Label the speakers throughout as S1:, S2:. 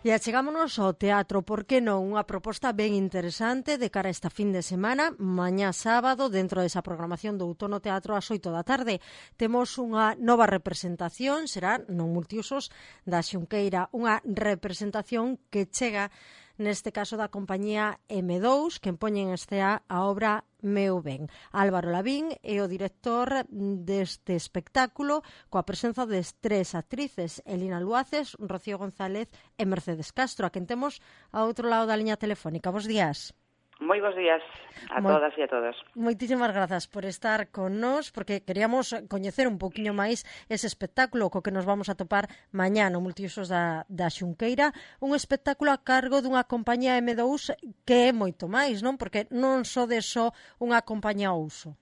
S1: E achegámonos ao teatro, por que non? Unha proposta ben interesante de cara a esta fin de semana, mañá sábado, dentro desa programación do Outono Teatro ás 8 da tarde. Temos unha nova representación, será non multiusos, da Xunqueira, unha representación que chega neste caso da compañía M2, que poñe en escena a obra Meu Ben. Álvaro Lavín é o director deste espectáculo, coa presenza de tres actrices, Elina Luaces, Rocío González e Mercedes Castro, a quen temos ao outro lado da liña telefónica. Bos días.
S2: Moi bons días a todas e a todos.
S1: Moitísimas grazas por estar con nós, porque queríamos coñecer un poquinho máis ese espectáculo co que nos vamos a topar mañá no Multiusos da Xunqueira, un espectáculo a cargo dunha compañía M2 que é moito máis, non? Porque non sodes só unha compañía ao uso.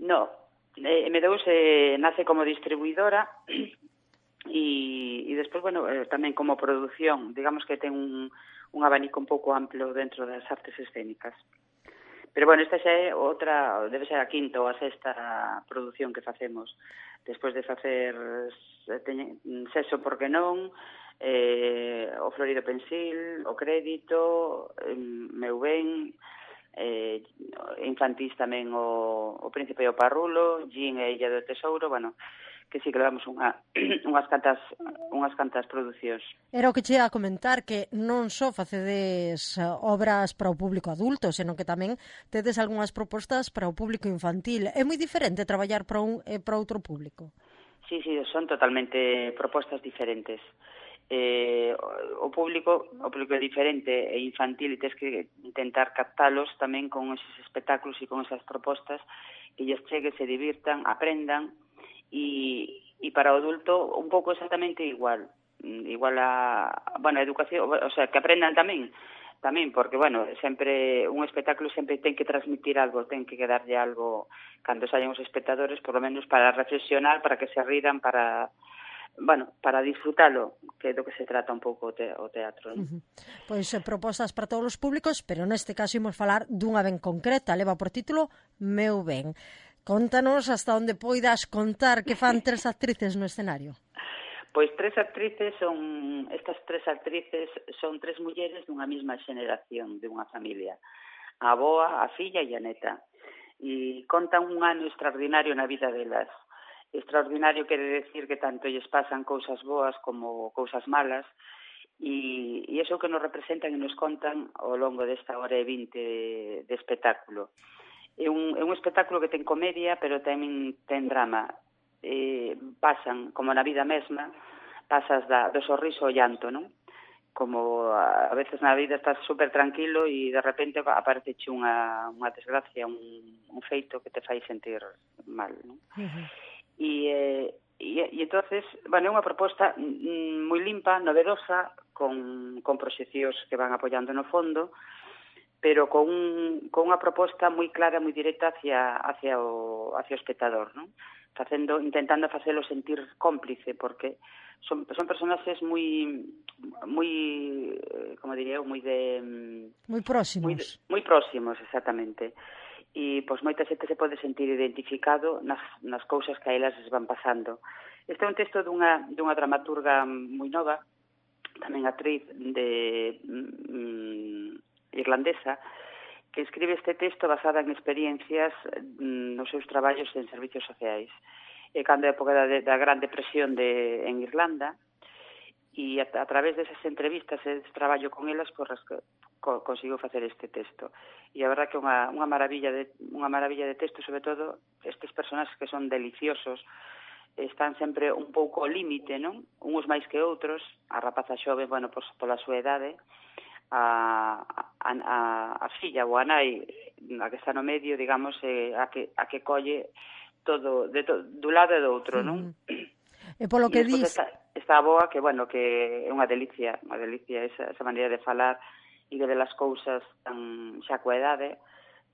S2: No, M2 nace como distribuidora e despois, bueno, tamén como produción, digamos que ten un abanico un pouco amplo dentro das artes escénicas. Pero, bueno, esta xa é outra, debe ser a quinta ou a sexta produción que facemos. Despois de facer Sexo porque non, o Florido Pensil, o Crédito, Meu Ben, infantís tamén o Príncipe e o Parrulo, Gin e Illa do Tesouro, bueno, que sí que levamos unhas cantas producións.
S1: Era o que che ia a comentar, que non só facedes obras para o público adulto, senón que tamén tedes algunhas propostas para o público infantil. É moi diferente traballar para un e para outro público?
S2: Sí, son totalmente propostas diferentes. O público é diferente e infantil e tens que intentar captalos tamén con esos espectáculos e con esas propostas que lles chegue, se divirtan, aprendan. E para o adulto un pouco exactamente igual a, bueno, a educación, o sea, que aprendan tamén, porque, bueno, sempre un espectáculo sempre ten que transmitir algo, ten que quedarlle algo cando saen os espectadores, por lo menos para reflexionar, para que se ridan, para disfrutalo, que é do que se trata un pouco o teatro, non?
S1: Pois propostas para todos os públicos, pero neste caso imos falar dunha ben concreta, leva por título Meu Ben. Contanos hasta onde poidas contar que fan tres actrices no escenario.
S2: Pois estas tres actrices son tres mulleres dunha mesma xeneración, dunha familia. A avoa, a filla e a neta. E contan un ano extraordinario na vida delas. Extraordinario quere decir que tanto lles pasan cousas boas como cousas malas, e iso que nos representan e nos contan ao longo desta hora e 20 de espectáculo. É un espectáculo que ten comedia, pero tamén ten drama. Pasan, como na vida mesma, pasas do sorriso ao llanto, non? Como a veces na vida estás super tranquilo e de repente apareceche unha desgracia, un feito que te fai sentir mal, non? E entonces, bueno, é unha proposta moi limpa, novedosa, con proxeccións que van apoiando no fondo, pero con unha proposta moi clara, moi directa hacia o espectador, non? Intentando facelo sentir cómplice, porque son personaxes moi, como diría eu, moi próximos. Moi próximos, exactamente. E, pois, moita xente se pode sentir identificado nas cousas que a elas les van pasando. Este é un texto dunha dramaturga moi nova, tamén actriz irlandesa, que escribe este texto basada en experiencias nos seus traballos en servicios sociais. E cando a época da Gran Depresión en Irlanda, e a través desas entrevistas e desse traballo con elas, conseguiu facer este texto. E a verdad que unha maravilla de texto, sobre todo estes personaxes que son deliciosos, están sempre un pouco ao límite, non? Uns máis que outros, a rapaza xove, bueno, pola súa idade, a filla ou a nai, a que está no medio, digamos, a que colle todo do lado e do outro, non?
S1: E polo que dis...
S2: Esta aboa, que, bueno, que é unha delicia esa maneira de falar e de ver as cousas tan xa coa idade,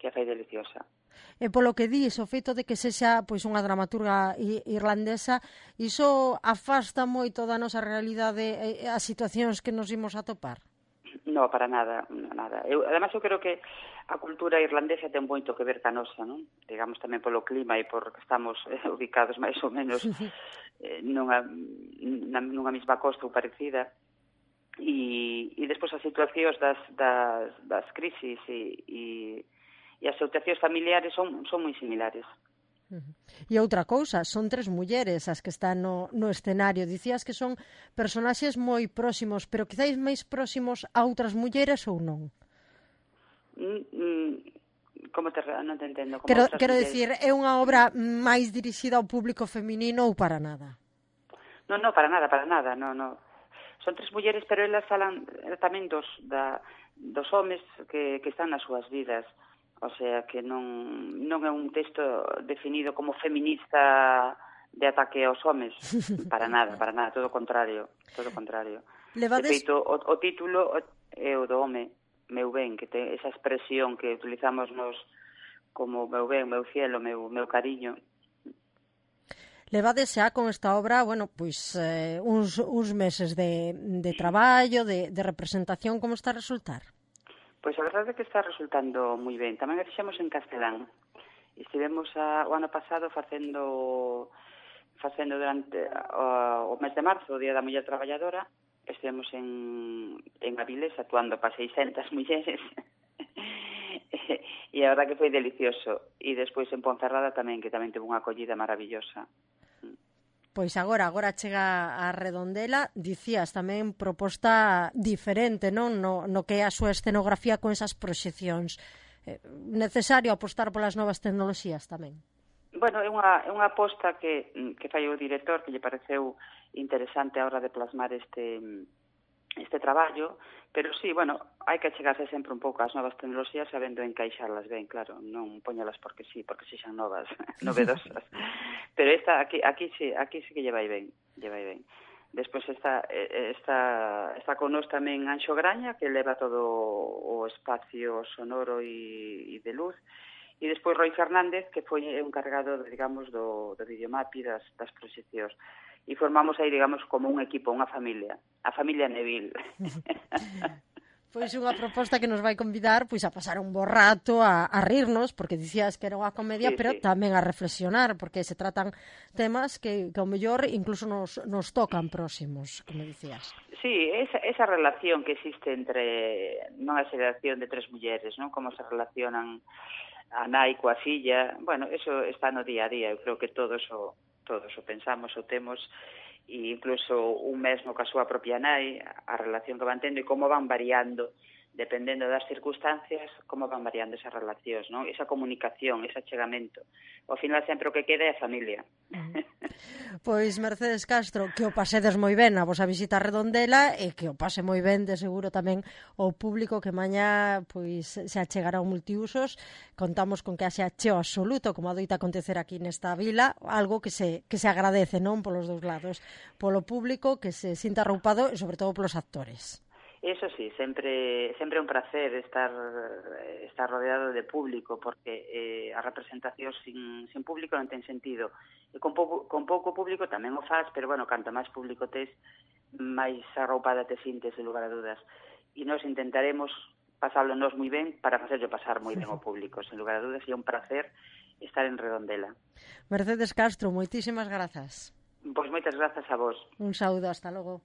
S2: que a fai deliciosa.
S1: E polo que dis, o feito de que sexa pois unha dramaturga irlandesa, iso afasta moito da nosa realidade as situacións que nos imos a topar?
S2: No, para nada. Además, eu creo que a cultura irlandesa ten moito que ver ca nosa, non? Digamos tamén polo clima e porque estamos ubicados máis ou menos nunha mesma costa ou parecida. e despois as situacións das crisis e as situacións familiares son moi similares.
S1: E outra cousa, son 3 mulleres as que están no escenario. Dicías que son personaxes moi próximos, pero quizáis máis próximos a outras mulleres ou non?
S2: Non te entendo.
S1: Quero dicir, é unha obra máis dirixida ao público feminino ou para nada?
S2: Non, para nada, non. Son 3 mulleres, pero elas falan tamén dos homes que están nas súas vidas. O sea, que non é un texto definido como feminista de ataque aos homes. Para nada, todo o contrario. De feito, o título é o do home, meu ben, que ten esa expresión que utilizamos nos como meu ben, meu cielo, meu cariño.
S1: Levades xa con esta obra, uns meses de traballo, de representación, como está a resultar?
S2: Pois a verdade é que está resultando moi ben. Tamén a fixemos en castelán. Estivemos o ano pasado facendo durante o mes de marzo, o Día da Muller Traballadora, estivemos en Avilés actuando para 600 mulleres. E a verdade que foi delicioso. E despois en Ponferrada tamén, que tamén teve unha acollida maravillosa.
S1: Pois agora chega a Redondela, dicías tamén proposta diferente, non? No que é a súa escenografía con esas proxeccións. Necesario apostar polas novas tecnoloxías tamén?
S2: Bueno, é unha aposta que fai o director, que lle pareceu interesante a hora de plasmar este traballo, pero sí, hai que achegarse sempre un pouco ás novas tecnoloxías sabendo encaixarlas ben, claro, non poñalas porque sexan novas, novedosas. Pero aquí sí que lle vai ben. Despois está con nós tamén Anxo Graña, que leva todo o espacio sonoro e de luz, e despois Roi Fernández, que foi o encargado, digamos, do videomapi das proxeccións. E formamos aí, digamos, como un equipo, unha familia, a familia Neville.
S1: Pois unha proposta que nos vai convidar a pasar un bo rato, a rirnos, porque dicías que era unha comedia, pero tamén a reflexionar, porque se tratan temas que ao mellor incluso nos tocan próximos, como dicías.
S2: Sí, esa relación que existe entre a xeración de 3 mulleres, non? Como se relacionan a nai coa filla, eso está no día a día, eu creo que todos o pensamos, o temos, e incluso un mesmo ca súa propia nai, a relación que van tendo e como van variando, dependendo das circunstancias, como van variando esas relacións, non? Esa comunicación, ese achegamento. Ao final sempre o que queda é a familia.
S1: Pois Mercedes Castro, que o pasedes moi ben a vosa visita a Redondela e que o pase moi ben de seguro tamén o público que mañá se achegará ao multiusos. Contamos con que haxe acheo absoluto, como adoita acontecer aquí nesta vila, algo que se agradece, non, polos dous lados, polo público que se sinta arroupado e sobre todo polos actores.
S2: Eso sí, sempre é un placer estar rodeado de público, porque a representación sin público non ten sentido. E con pouco público tamén o faz, pero canto máis público tes, máis arroupada te sintes, en lugar a dudas. E nós intentaremos pasarlo nós moi ben para facerlo pasar moi ben ao público, sen lugar a dudas, e é un placer estar en Redondela.
S1: Mercedes Castro, moitísimas grazas.
S2: Pois moitas grazas a vos.
S1: Un saúdo, hasta logo.